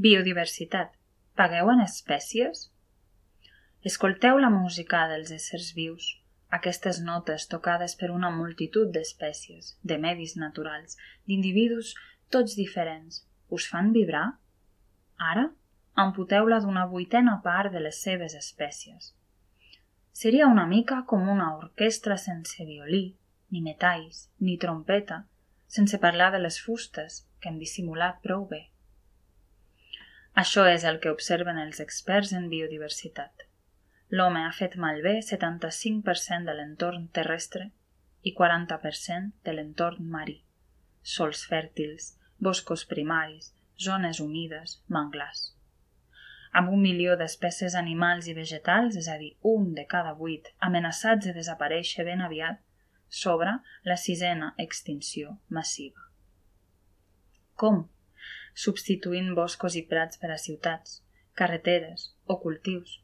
Biodiversitat. Pagueu en espècies? Escolteu la música dels éssers vius, aquestes notes tocades per una multitud d'espècies, de medis naturals, d'individus tots diferents. Us fan vibrar? Ara, amputeu-la d'una vuitena part de les seves espècies. Seria una mica com una orquestra sense violí, ni metalls, ni trompeta, sense parlar de les fustes, que hem dissimulat prou bé. Això és el que observen els experts en biodiversitat. L'home ha fet malbé 75% de l'entorn terrestre i 40% de l'entorn marí. Sòls fèrtils, boscos primaris, zones humides, manglars. Amb 1 milió d'espècies animals i vegetals, és a dir, 1 de cada 8, amenaçats de desaparèixer ben aviat, s'obre la 6ª extinció massiva. Com? Substituint boscos i prats per a ciutats, carreteres o cultius,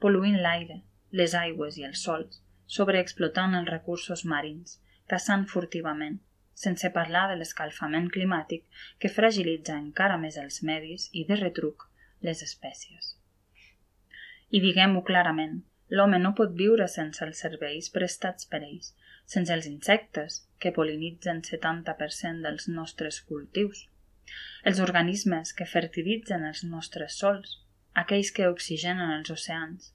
pol·luint l'aire, les aigües i els sòls, sobreexplotant els recursos marins, caçant furtivament, sense parlar de l'escalfament climàtic que fragilitza encara més els medis i, de retruc, les espècies. I diguem-ho clarament, l'home no pot viure sense els serveis prestats per ells, sense els insectes que pol·linitzen 70% dels nostres cultius, els organismes que fertilitzen els nostres sòls, aquells que oxigenen els oceans,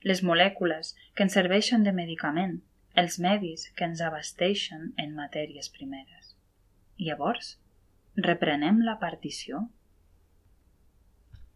les molècules que ens serveixen de medicament, els medis que ens abasteixen en matèries primeres. Llavors, reprenem la partició?